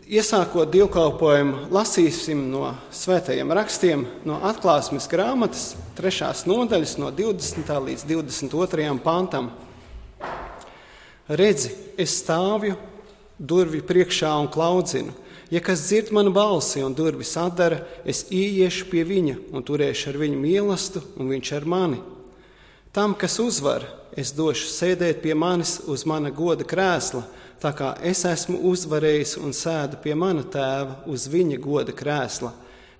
Iesākot dievkalpojumu, lasīsim no svētajiem rakstiem, no Atklāsmes grāmatas 3. nodaļas no 20. līdz 22. pantam. Redzi, es stāvju durvju priekšā un klaudzinu. Ja kas dzird manu balsi un durvis atdara, es ieiešu pie viņa un turēšu ar viņu mīlestību, un viņš ar mani. Tam, kas uzvar, es došu sēdēt pie manis uz mana goda krēsla, tā kā es esmu uzvarējis un sēdu pie mana tēva uz viņa goda krēsla,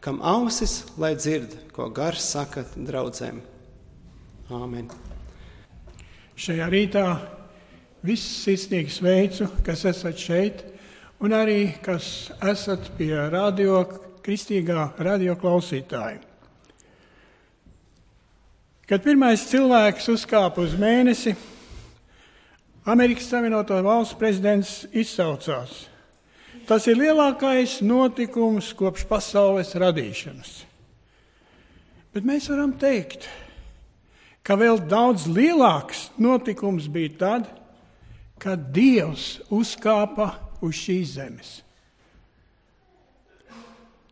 kam ausis, lai dzird, ko Gars saka draudzēm. Āmen. Šajā rītā visus sirsnīgi sveicu, kas esat šeit, un arī, kas esat pie kristīgā radio klausītāja. Kad pirmais cilvēks uzkāpa uz mēnesi, Amerikas Savienoto Valstu prezidents izsaucās: tas ir lielākais notikums kopš pasaules radīšanas. Bet mēs varam teikt, ka vēl daudz lielāks notikums bija tad, kad Dievs uzkāpa uz šīs zemes.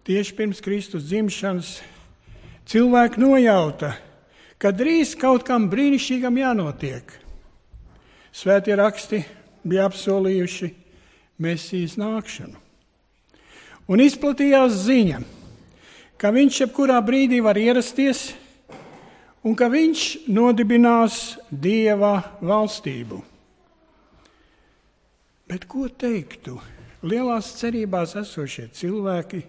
Tieši pirms Kristus dzimšanas cilvēki nojauta, ka drīz kaut kam brīnišķīgam jānotiek. Svētie raksti bija apsolījuši Mesijas nākšanu. Un izplatījās ziņa, ka viņš jebkurā brīdī var ierasties un ka viņš nodibinās Dieva valstību. Bet ko teiktu lielās cerībās esošie cilvēki,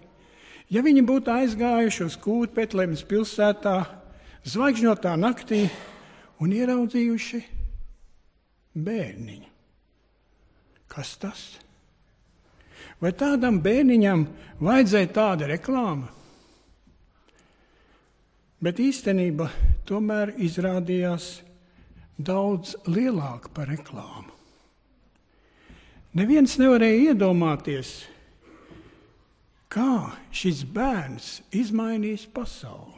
ja viņi būtu aizgājuši uz kūti Betlehemes pilsētā, zvaigžņotā naktī un ieraudzījuši bērniņu? Kas tas? Vai tādam bērniņam vajadzēja tāda reklāma? Bet īstenība tomēr izrādījās daudz lielāka par reklāmu. Neviens nevarēja iedomāties, kā šis bērns izmainīs pasauli.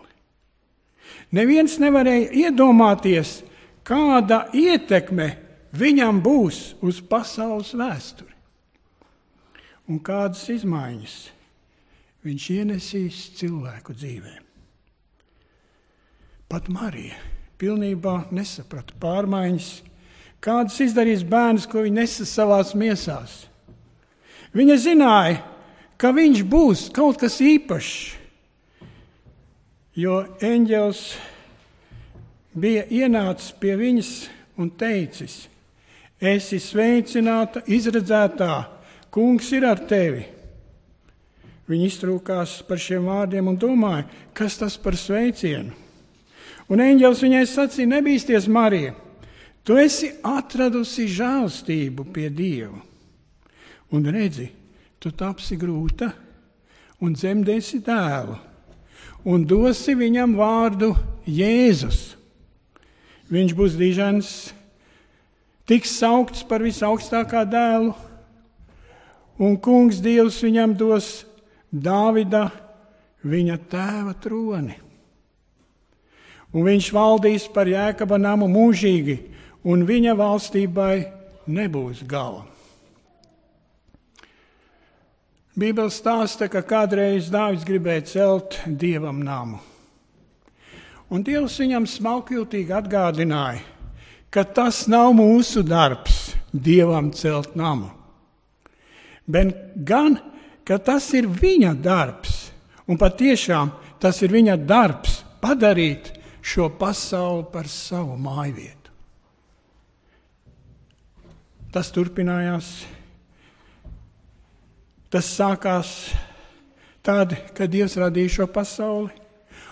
Neviens nevarēja iedomāties, kāda ietekme viņam būs uz pasaules vēsturi. Un kādas izmaiņas viņš ienesīs cilvēku dzīvē. Pat Marija pilnībā nesaprata pārmaiņas, kādas izdarīs bērns, ko viņa nesa savās miesās. Viņa zināja, ka viņš būs kaut kas īpašs, jo eņģelis bija ienācis pie viņas un teicis: esi sveicināta, izredzētā, kungs ir ar tevi. Viņa iztrūkās par šiem vārdiem un domāja, kas tas par sveicienu. Un eņģelis viņai sacīja: nebīsties, Marija, tu esi atradusi žēlstību pie Dieva. Un redzi, tu tapsi grūta un dzemdēsi dēlu un dosi viņam vārdu Jēzus. Viņš būs dižens, tiks saukts par visaugstākā dēlu, un kungs Dievs viņam dos Dāvida, viņa tēva troni. Un viņš valdīs par Jēkaba namu mūžīgi, un viņa valstībai nebūs gala. Bībele stāsta, ka kādreiz Dāvids gribēja celt Dievam namu. Un Dievs viņam smalkjūtīgi atgādināja, ka tas nav mūsu darbs Dievam celt namu, bet gan, ka tas ir viņa darbs, un patiešām tas ir viņa darbs padarīt šo pasauli par savu mājvietu. Tas turpinājās. Tas sākās tad, kad Dievs radīja šo pasauli,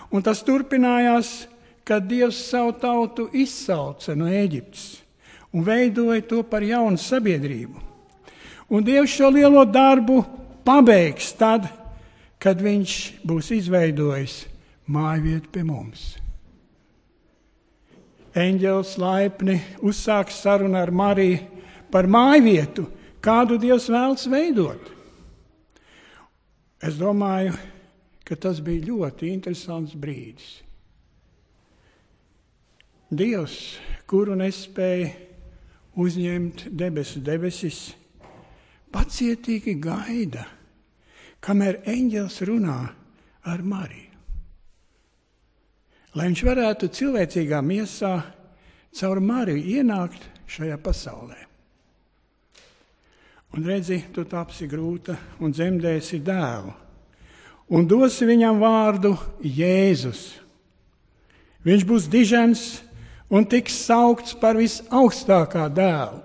un tas turpinājās, kad Dievs savu tautu izsauca no Ēģiptes un veidoja to par jaunu sabiedrību. Un Dievs šo lielo darbu pabeigs tad, kad viņš būs izveidojis mājvietu pie mums. Eņģelis laipni uzsāks sarunu ar Mariju par mājvietu, kādu Dievs vēlas veidot. Es domāju, ka tas bija ļoti interesants brīdis. Dievs, kuru nespēja uzņemt debesis, pacietīgi gaida, kamēr eņģelis runā ar Mariju. Lai viņš varētu cilvēcīgā miesā caur Mariju ienākt šajā pasaulē. Un redzi, tu tapsi grūta un dzemdēsi dēlu, un dosi viņam vārdu Jēzus. Viņš būs dižens un tiks saukts par visaugstākā dēlu.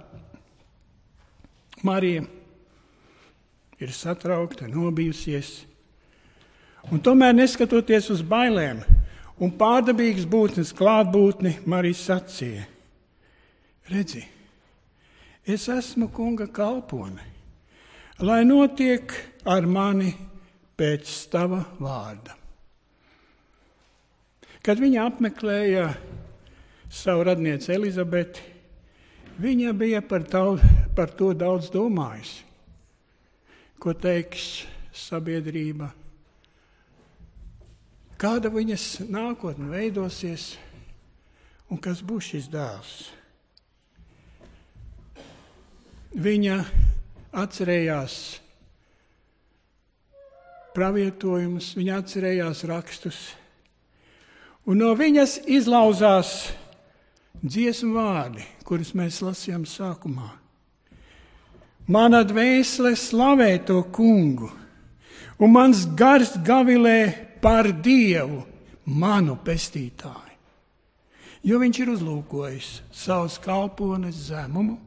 Marija ir satraukta, nobijusies, un tomēr neskatoties uz bailēm un pārdabīgas būtnes klātbūtni, Marija sacīja: redzi, es esmu kunga kalpone, lai notiek ar mani pēc tava vārda. Kad viņa apmeklēja savu radnieci Elizabeti, viņa bija par to daudz domājusi. Ko teiks sabiedrība? Kāda viņas nākotne veidosies un kas būs šis dēls? Viņa atcerējās pravietojumus, viņa atcerējās rakstus, un no viņas izlauzās dziesmu vārdi, kurus mēs lasījām sākumā. Mana dvēsele slavē to kungu, un mans gars gavilē par Dievu, manu pestītāju, jo viņš ir uzlūkojis savus kalpones zemumu.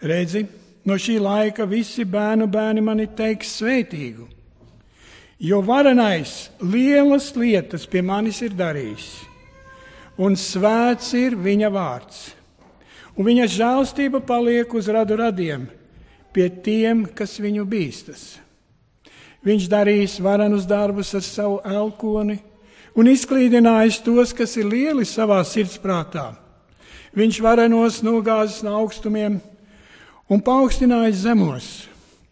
Redzi, no šī laika visi bērni mani teiks svētīgu, jo varenais lielas lietas pie manis ir darījis, un svēts ir viņa vārds. Un viņa žēlstība paliek uz radu radiem, pie tiem, kas viņu bīstas. Viņš darīs varenus darbus ar savu elkoni un izklīdinājis tos, kas ir lieli savā sirdsprātā. Viņš varenos nogāzis no augstumiem un paaugstinājis zemos,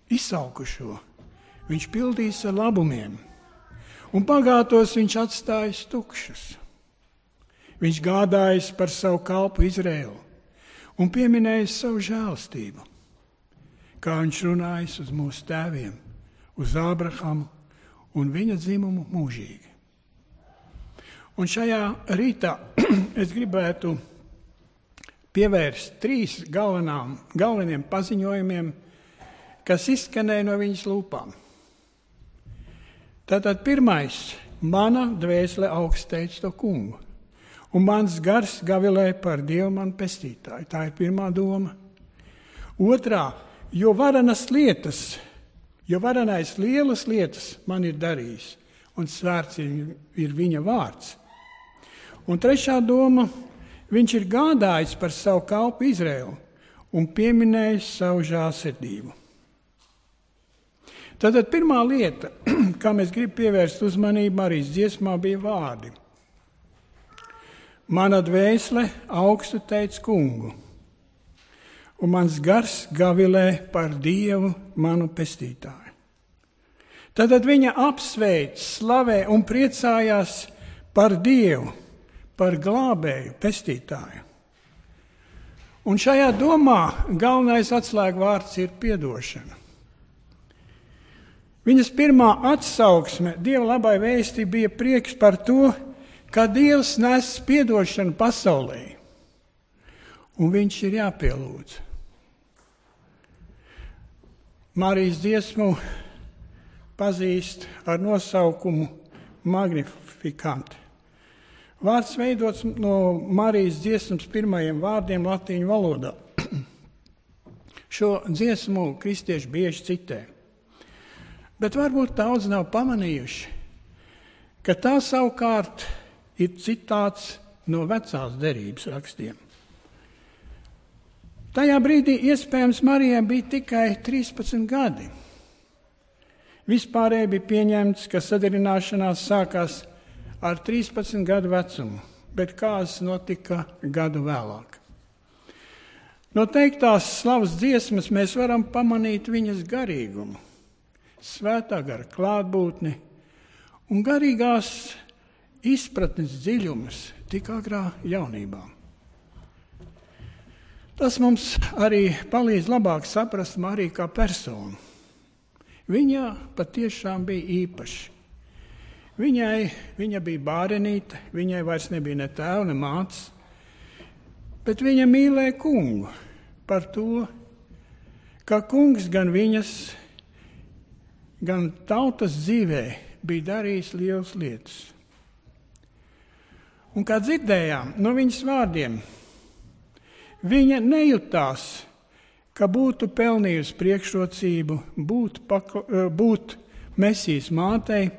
izsalkušo. Viņš pildīs ar labumiem, un bagātos viņš atstājis tukšus. Viņš gādājis par savu kalpu Izraēlu un pieminējis savu žēlstību, kā viņš runājis uz mūsu tēviem, uz Ābrahamu un viņa dzimumu mūžīgi. Un šajā rītā es gribētu pievērst 3 galveniem paziņojumiem, kas izskanēja no viņas lūpām. Tātad pirmais, mana dvēsele augsteic to kungu, un mans gars gavilē par Dievu manu pestītāju. Tā ir pirmā doma. Otrā, jo varenais lielas lietas man ir darījis, un svēts ir viņa vārds. Un trešā doma, viņš ir gādājis par savu kalpu Izraēlu un pieminējis savu žēlsirdību. Tātad pirmā lieta, kā mēs gribam pievērst uzmanību Marijas dziesmā, bija vārdi. Mana dvēsele augstu teic kungu, un mans gars gavilē par Dievu manu pestītāju. Tad viņa apsveic, slavē un priecājās par Dievu, par glābēju, pestītāju. Un šajā domā galvenais atslēgvārds ir piedošana. Viņas pirmā atsauksme Dieva labai vēstī bija prieks par to, ka Dievs nes piedošanu pasaulē, un viņš ir jāpielūdz. Marijas dziesmu pazīst ar nosaukumu Magnificat. Vārds veidots no Marijas dziesmas pirmajiem vārdiem latīņu valodā. Šo dziesmu kristieši bieži citē, bet varbūt daudz nav pamanījuši, ka tā savukārt ir citāts no vecās derības rakstiem. Tajā brīdī iespējams Marijai bija tikai 13 gadi. Vispārēji bija pieņemts, ka sadarināšanās sākās ar 13 gadu vecumu, bet kāds notika gadu vēlāk. No teiktās slavas dziesmas mēs varam pamanīt viņas garīgumu, svētā gara klātbūtni un garīgās izpratnes dziļumus tik agrā jaunībā. Tas mums arī palīdz labāk saprast Mariju kā personu. viņa patiešām bija īpaša. Viņa bija bārenīte, viņai vairs nebija ne tēva, ne mātes, bet viņa mīlēja kungu par to, ka kungs gan viņas, gan tautas dzīvē bija darījis lielas lietas. Un kā dzirdējām no viņas vārdiem, viņa nejutās, ka būtu pelnījusi priekšrocību būt Mesijas mātei,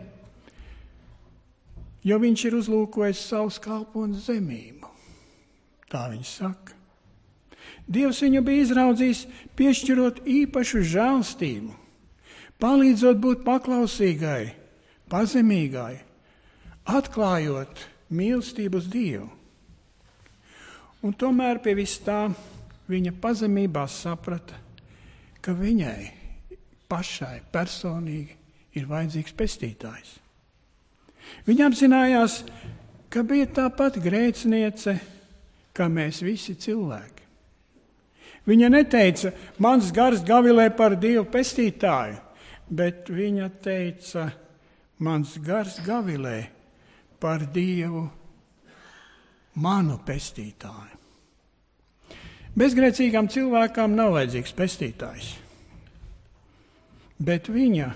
jo viņš ir uzlūkojis savu kalponu zemību. Tā viņa saka. Dievs viņu bija izraudzījis, piešķirot īpašu žēlstību, palīdzot būt paklausīgai, pazemīgai, atklājot mīlestību uz Dievu. Un tomēr pie vis tā viņa pazemībā saprata, ka viņai pašai personīgi ir vajadzīgs pestītājs. Viņa apzinājās, ka bija tāpat grēciniece, kā mēs visi cilvēki. Viņa neteica, mans gars gavilē par Dievu pestītāju, bet viņa teica, mans gars gavilē par Dievu manu pestītāju. Bezgrēcīgām cilvēkām nav vajadzīgs pestītājs, bet viņa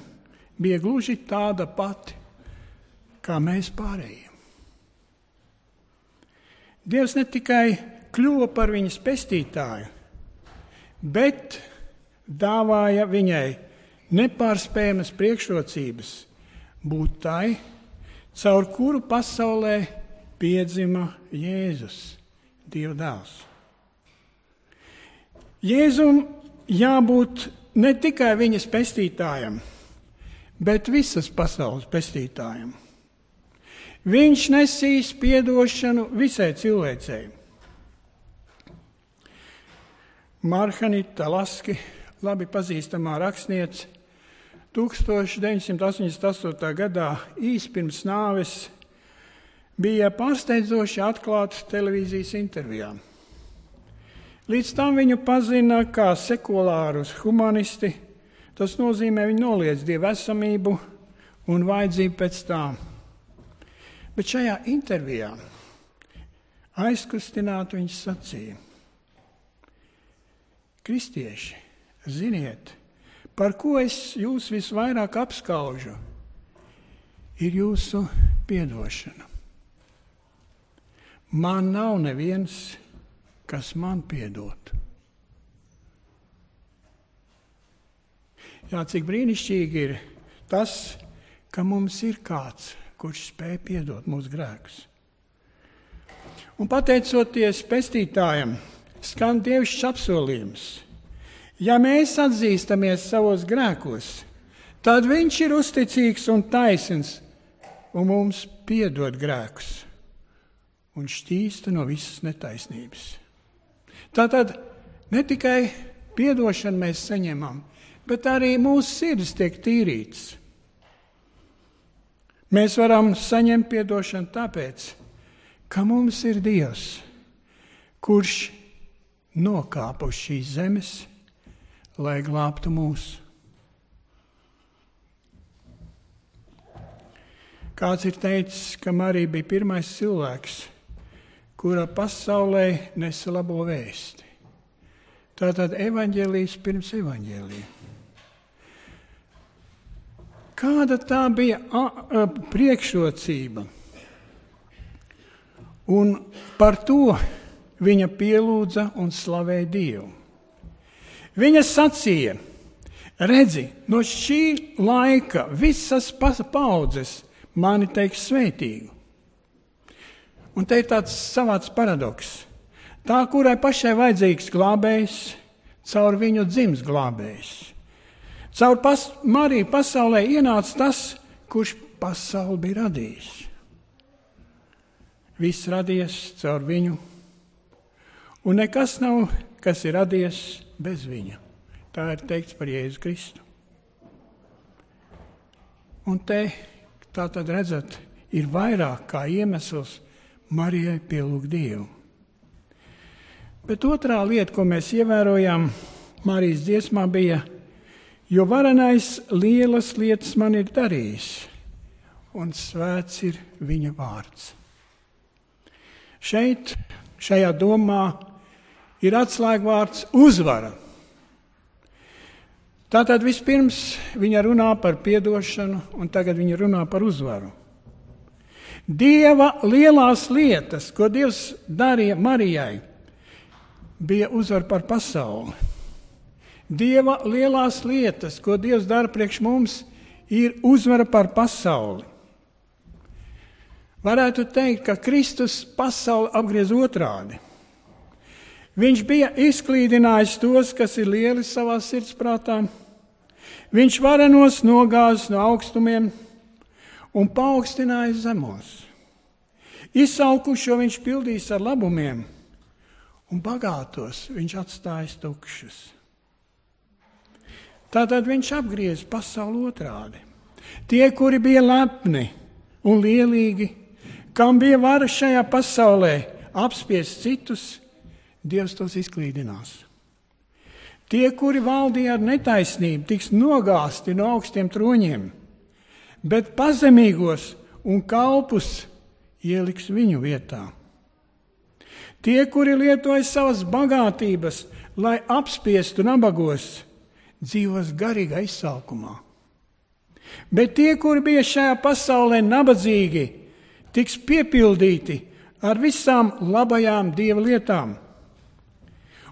bija gluži tāda pati, kā mēs pārējiem. Dievs ne tikai kļuva par viņas pestītāju, bet dāvāja viņai nepārspējamas priekšrocības būt tai, caur kuru pasaulē piedzima Jēzus, Dieva dēls. Jēzum jābūt ne tikai viņas pestītājam, bet visas pasaules pestītājam. Viņš nesīs piedošanu visai cilvēcei. Marhanita Laski, labi pazīstamā rakstniece, 1988. gadā īs pirms nāves bija pārsteidzoši atklāta televīzijas intervijā. Līdz tam viņu pazina kā sekulārus humanisti, tas nozīmē, viņi noliedz Dieva esamību un vajadzību pēc tām. Bet šajā intervijā aizkustināti viņš sacīja: kristieši, ziniet, par ko es jūs visvairāk apskaužu, ir jūsu piedošana. Man nav neviens, kas man piedotu. Jā, cik brīnišķīgi ir tas, ka mums ir kāds, kurš spēj piedot mūsu grēkus. Un pateicoties pestītājam, skan dievišķs apsolījums. Ja mēs atzīstamies savos grēkos, tad viņš ir uzticīgs un taisns un mums piedod grēkus un šķīsta no visas netaisnības. Tātad ne tikai piedošanu mēs saņemam, bet arī mūsu sirds tiek tīrīts. Mēs varam saņemt piedošanu tāpēc, ka mums ir Dievs, kurš nokāpa uz šīs zemes, lai glābtu mūs. Kāds ir teicis, ka Marija bija pirmais cilvēks, kura pasaulē nesa labo vēsti. Tātad evaņģēlijs pirms evaņģēlija. Kāda tā bija priekšrocība? Un par to viņa pielūdza un slavēja Dievu. Viņa sacīja, redzi, no šī laika visas paudzes mani teiks svētīgu. Un te ir tāds savāds paradoks. Tā, kurai pašai vajadzīgs glābējs, caur viņu dzims glābējs. Caur Mariju pasaulē ienāca tas, kurš pasauli bija radījis. Viss radies caur viņu, un nekas nav, kas ir radies bez viņa. Tā ir teikts par Jēzu Kristu. Un te, tā tad redzat, ir vairāk kā iemesls Marijai pielūgt Dievu. Bet otrā lieta, ko mēs ievērojām Marijas dziesmā, bija: jo varenais lielas lietas man ir darījis, un svēts ir viņa vārds. Šajā domā ir atslēgvārds uzvara. Tātad vispirms viņa runā par piedošanu, un tagad viņa runā par uzvaru. Dieva lielās lietas, ko Dievs darīja Marijai, bija uzvara par pasauli. Dieva lielās lietas, ko Dievs dara priekš mums, ir uzvara par pasauli. Varētu teikt, ka Kristus pasauli apgriez otrādi. Viņš bija izklīdinājis tos, kas ir lieli savā sirdsprātā. Viņš varenos nogāzis no augstumiem un paaugstinājis zemos. Izsalkušo viņš pildījis ar labumiem, un bagātos viņš atstājis tukšus. Tātad viņš apgriez pasauli otrādi. Tie, kuri bija lepni un lielīgi, kam bija vara šajā pasaulē apspiest citus, Dievs tos izklīdinās. Tie, kuri valdīja ar netaisnību, tiks nogāzti no augstiem troņiem, bet pazemīgos un kalpus ieliks viņu vietā. Tie, kuri lietoja savas bagātības, lai apspiestu nabagos, dzīvos garīgā izsalkumā. Bet tie, kuri bija šajā pasaulē nabadzīgi, tiks piepildīti ar visām labajām Dieva lietām.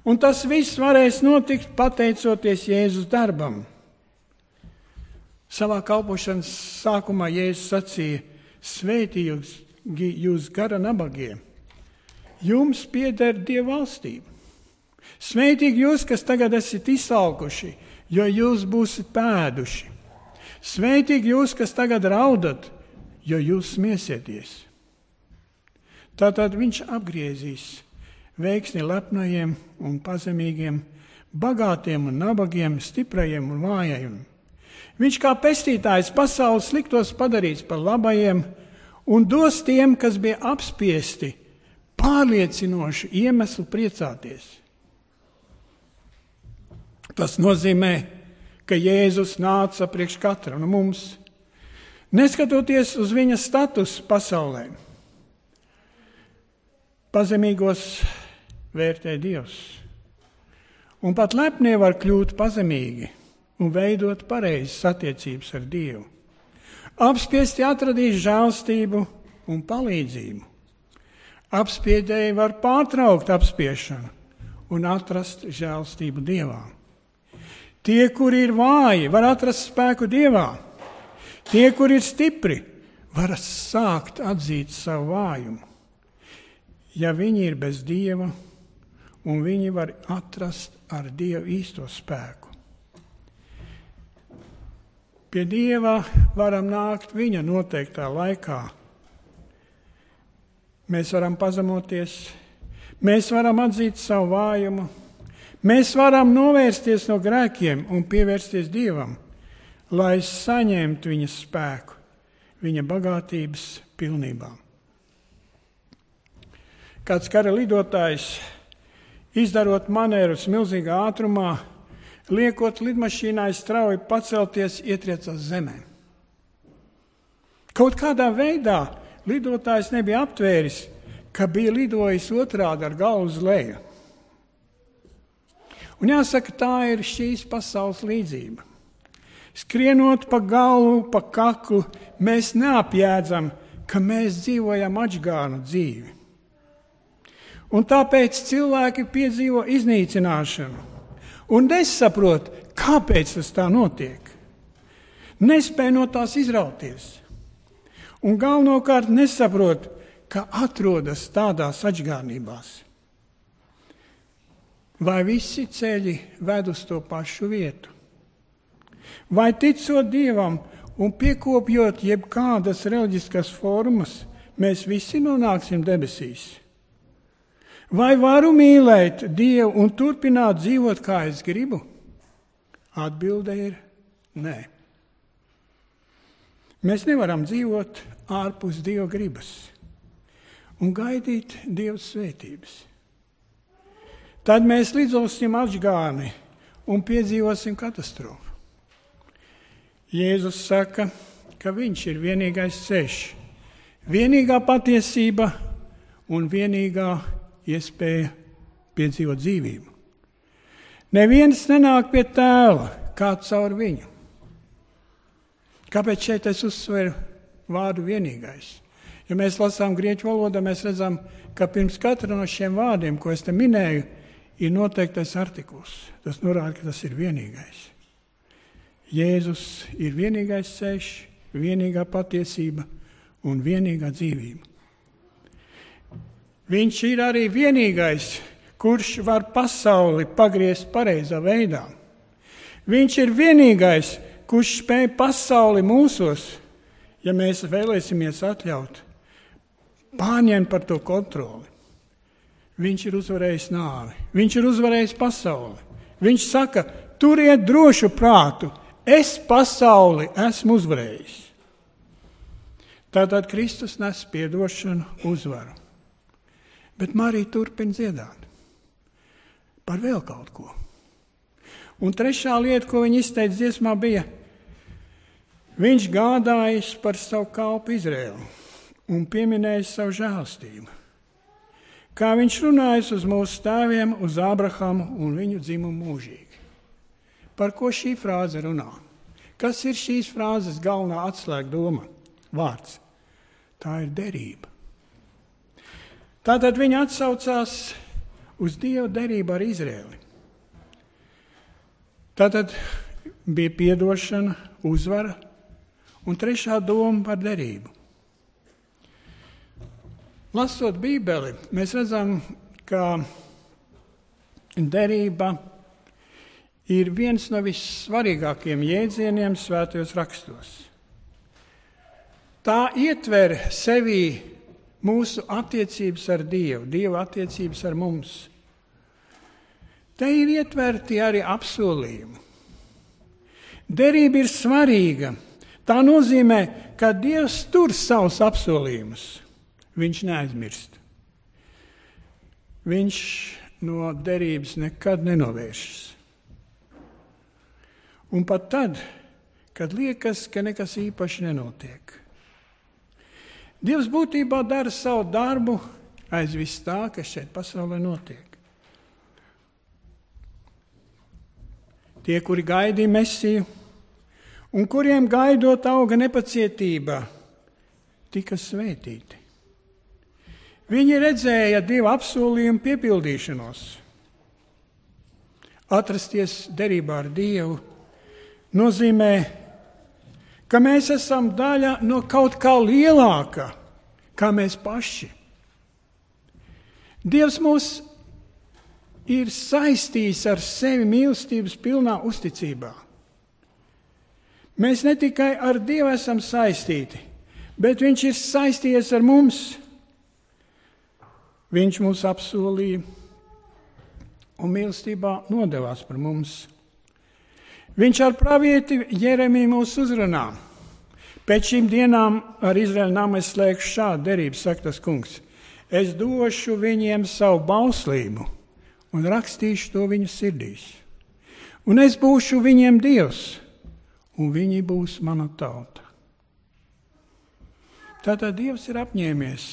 Un tas viss varēs notikt pateicoties Jēzus darbam. Savā kalpošanas sākumā Jēzus sacīja: svētīgi jūs gara nabagie, jums pieder Dieva valstība. Svētīgi jūs, kas tagad esat izsalkuši, jo jūs būsiet pēduši. Svētīgi jūs, kas tagad raudat, jo jūs smiesieties. Tātad viņš apgriezīs veiksni lepnajiem un pazemīgiem, bagātiem un nabagiem, stiprajiem un vājajiem. Viņš kā pestītājs pasaules sliktos padarīs par labajiem un dos tiem, kas bija apspiesti, pārliecinošu iemeslu priecāties. Tas nozīmē, ka Jēzus nāca priekš katra no mums, neskatoties uz viņa statusu pasaulē. Pazemīgos vērtē Dievs, un pat lepnie var kļūt pazemīgi un veidot pareizas attiecības ar Dievu. Apspiesti atradīs žēlstību un palīdzību. Apspiedēji var pārtraukt apspiešanu un atrast žēlstību Dievā. Tie, kuri ir vāji, var atrast spēku Dievā. Tie, kuri ir stipri, var sākt atzīt savu vājumu. Ja viņi ir bez Dieva, un viņi var atrast ar Dievu īsto spēku. Pie Dieva varam nākt viņa noteiktā laikā. Mēs varam pazemoties, mēs varam atzīt savu vājumu, mēs varam novērsties no grēkiem un pievērsties Dievam, lai saņemtu viņa spēku, viņa bagātības pilnībā. Kāds kara lidotājs, izdarot manērus milzīgā ātrumā, liekot lidmašīnai strauji pacelties, ietriecās zemē. Kaut kādā veidā lidotājs nebija aptvēris, ka bija lidojis otrādi ar galvu uz leju. Un jāsaka, tā ir šīs pasaules līdzība. Skrienot pa galvu, pa kaklu, mēs neapjēdzam, ka mēs dzīvojam atžgānu dzīvi. Un tāpēc cilvēki piedzīvo iznīcināšanu un nesaprot, kāpēc tas tā notiek. Nespēj no tās izrauties. Un galvenokārt nesaprot, ka atrodas tādās atžgārnībās. Vai visi ceļi ved uz to pašu vietu? Vai ticot Dievam un piekopjot jebkādas reliģiskas formas, mēs visi nonāksim debesīs? Vai varu mīlēt Dievu un turpināt dzīvot, kā es gribu? Atbilde ir nē. Mēs nevaram dzīvot ārpus Dieva gribas un gaidīt Dieva svētības. Tad mēs lidosim atžgāni un piedzīvosim katastrofu. Jēzus saka, ka viņš ir vienīgais ceļš, vienīgā patiesība un vienīgā iespēja piedzīvot dzīvību. Neviens nenāk pie tēva, kā caur viņu. Kāpēc šeit es uzsveru vārdu vienīgais? Ja mēs lasām grieķu valodā, mēs redzam, ka pirms katra no šiem vārdiem, ko es te minēju, ir noteiktais artikuls. Tas norāda, ka tas ir vienīgais. Jēzus ir vienīgais ceļš, vienīgā patiesība un vienīgā dzīvība. Viņš ir arī vienīgais, kurš var pasauli pagriezt pareizā veidā. Viņš ir vienīgais, kurš spēj pasauli mūsos, ja mēs vēlēsimies atļaut, pārņemt par to kontroli. Viņš ir uzvarējis nāvi, viņš ir uzvarējis pasauli. Viņš saka, turiet drošu prātu, es pasauli esmu uzvarējis. Tātad Kristus nes piedošanu, uzvaru. Bet Marija turpina dziedāt par vēl kaut ko. Un trešā lieta, ko viņa izteica dziesmā, bija, viņš gādājis par savu kalpu Izraēlu un pieminējis savu žēlastību. Kā viņš runājis uz mūsu tēviem, uz Ābrahamu un viņu dzimumu mūžīgi. Par ko šī frāze runā? Kas ir šīs frāzes galvenā atslēgdoma? Vārds. Tā ir derība. Tātad viņa atsaucās uz Dieva derību ar Izraēli. Tātad bija piedošana, uzvara un trešā doma par derību. Lasot Bībeli, mēs redzam, ka derība ir viens no vissvarīgākajiem jēdzieniem svētajos rakstos. Tā ietver sevī mūsu attiecības ar Dievu, Dieva attiecības ar mums. Te ir ietverti arī apsolījumi. Derība ir svarīga. Tā nozīmē, ka Dievs tur savus apsolījumus. Viņš neaizmirst. Viņš no derības nekad nenovēršas. Un pat tad, kad liekas, ka nekas īpaši nenotiek. Dievs būtībā dara savu darbu aiz viss tā, kas šeit pasaulē notiek. Tie, kuri gaidīja Mesiju, un kuriem gaidot auga nepacietība, tika svētīti. Viņi redzēja Dieva apsolījumu piepildīšanos. Atrasties derībā ar Dievu nozīmē, ka mēs esam daļa no kaut kā lielāka, kā mēs paši. Dievs mūs ir saistījis ar sevi mīlestības pilnā uzticībā. Mēs ne tikai ar Dievu esam saistīti, bet viņš ir saistījies ar mums. Viņš mūs apsolīja un mīlestībā nodevās par mums. Viņš ar pravieti Jeremiju mūs uzrunā. Pēc šīm dienām ar Izraēļa namu es slēgšu šādu derību, saka tas kungs. Es došu viņiem savu bauslību un rakstīšu to viņu sirdīs. Un es būšu viņiem Dievs, un viņi būs mana tauta. Tātad Dievs ir apņēmies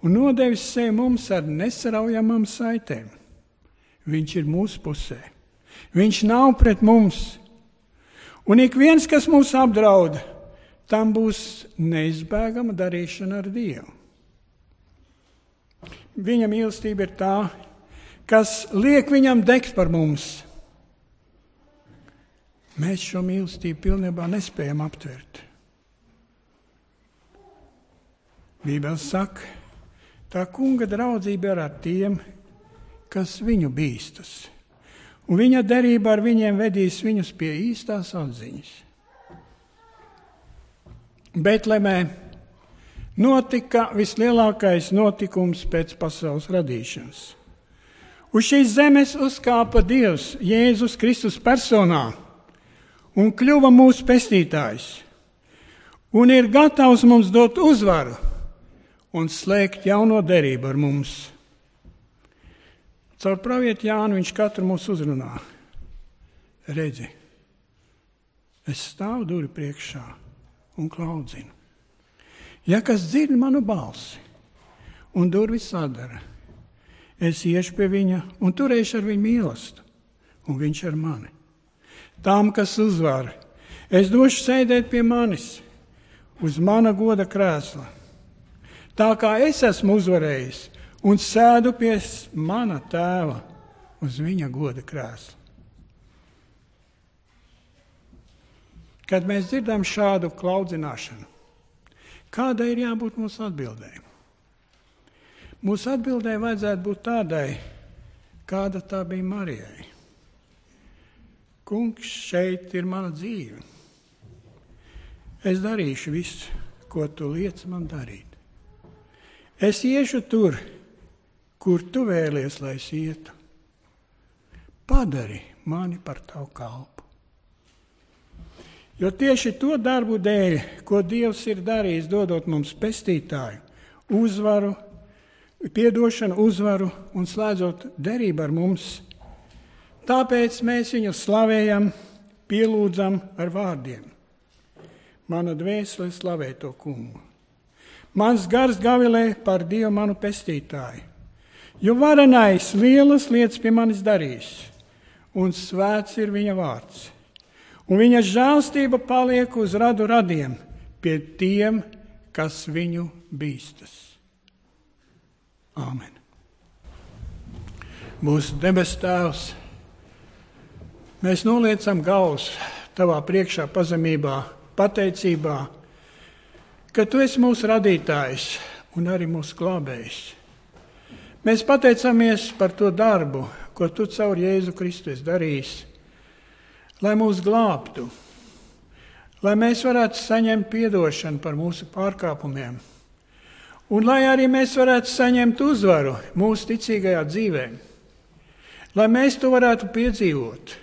un nodevis sevi mums ar nesaraujamām saitēm. Viņš ir mūsu pusē. Viņš nav pret mums. Un ik viens, kas mūs apdraud, tam būs neizbēgama darīšana ar Dievu. Viņa mīlestība ir tā, kas liek viņam degt par mums. Mēs šo mīlestību pilnībā nespējam aptvert. Bībele saka, tā kunga draudzība ir ar tiem, kas viņu bīstas. Un viņa derība ar viņiem vedīs viņus pie īstās atziņas. Betlemē notika vislielākais notikums pēc pasaules radīšanas. Uz šīs zemes uzkāpa Dievs Jēzus Kristus personā un kļuva mūsu pestītājs. Un ir gatavs mums dot uzvaru un slēgt jauno derību ar mums. Caur pravieti Jānu viņš katru mūs uzrunā. Redzi, Es stāvu durvju priekšā un klaudzinu. Ja kas dzird manu balsi un durvis sadara, es iešu pie viņa un turēšu ar viņu mīlestību, un viņš ar mani. Tām, kas uzvar, es došu sēdēt pie manis uz mana goda krēsla. Tā kā es esmu uzvarējis un sēdu pie mana tēva uz viņa goda krēsla. Kad mēs dzirdam šādu klaudzināšanu, kādai ir jābūt mūsu atbildēji? Mūsu atbildēji vajadzētu būt tādai, kāda tā bija Marijai. Kungs, šeit ir mana dzīve. Es darīšu visu, ko tu liec man darīt. Es iešu tur, kur tu vēlies, lai es ietu. Padari mani par tavu kalpu. Jo tieši to darbu dēļ, ko Dievs ir darījis, dodot mums pestītāju, uzvaru, piedošanu, uzvaru un slēdzot derību ar mums, tāpēc mēs viņu slavējam, pielūdzam ar vārdiem. Mana dvēsele slavē to kungu. Mans gars gavilē par Dievu manu pestītāju, jo varenais lielas lietas pie manis darīs, un svēts ir viņa vārds. Un viņa žēlstība paliek uz radu radiem pie tiem, kas viņu bīstas. Āmen. Mūsu debes Tēvs, mēs noliecam galvas tavā priekšā pazemībā, pateicībā, ka tu esi mūsu radītājs un arī mūsu glābējs. Mēs pateicamies par to darbu, ko tu caur Jēzu Kristu esi darījis, lai mūs glābtu, lai mēs varētu saņemt piedošanu par mūsu pārkāpumiem, un lai arī mēs varētu saņemt uzvaru mūsu ticīgajā dzīvē, lai mēs to varētu piedzīvot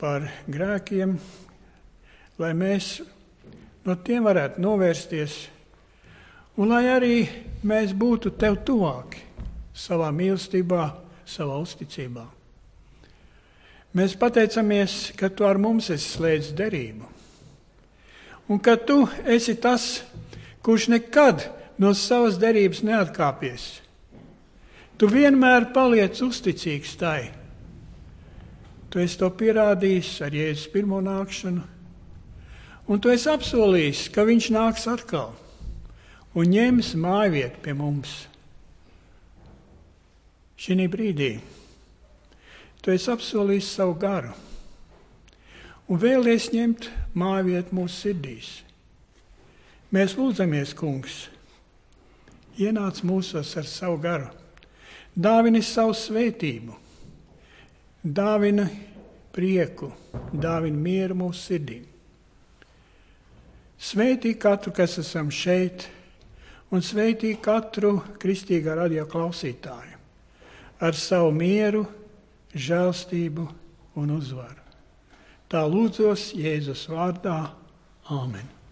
par grēkiem, lai mēs no tiem varētu novērsties, un lai arī mēs būtu tev tuvāki savā mīlestībā, savā uzticībā. Mēs pateicamies, ka tu ar mums esi slēdzis derību, un ka tu esi tas, kurš nekad no savas derības neatkāpies. Tu vienmēr paliec uzticīgs tai. Tu esi to pierādījis ar Jēzus pirmo nākšanu, un tu esi apsolījis, ka viņš nāks atkal un ņems mājvietu pie mums. Šī brīdī tu esi apsolījis savu garu un vēlies ņemt mājvietu mūsu sirdīs. Mēs lūdzamies, kungs, ienāc mūsos ar savu garu, dāvini savu svētību, dāvini prieku, dāvini mieru mūsu sirdīm. Svētī katru, kas esam šeit, un svētī katru kristīgā radio klausītāju ar savu mieru, žēlstību un uzvaru. Tā lūdzos Jēzus vārdā. Āmen.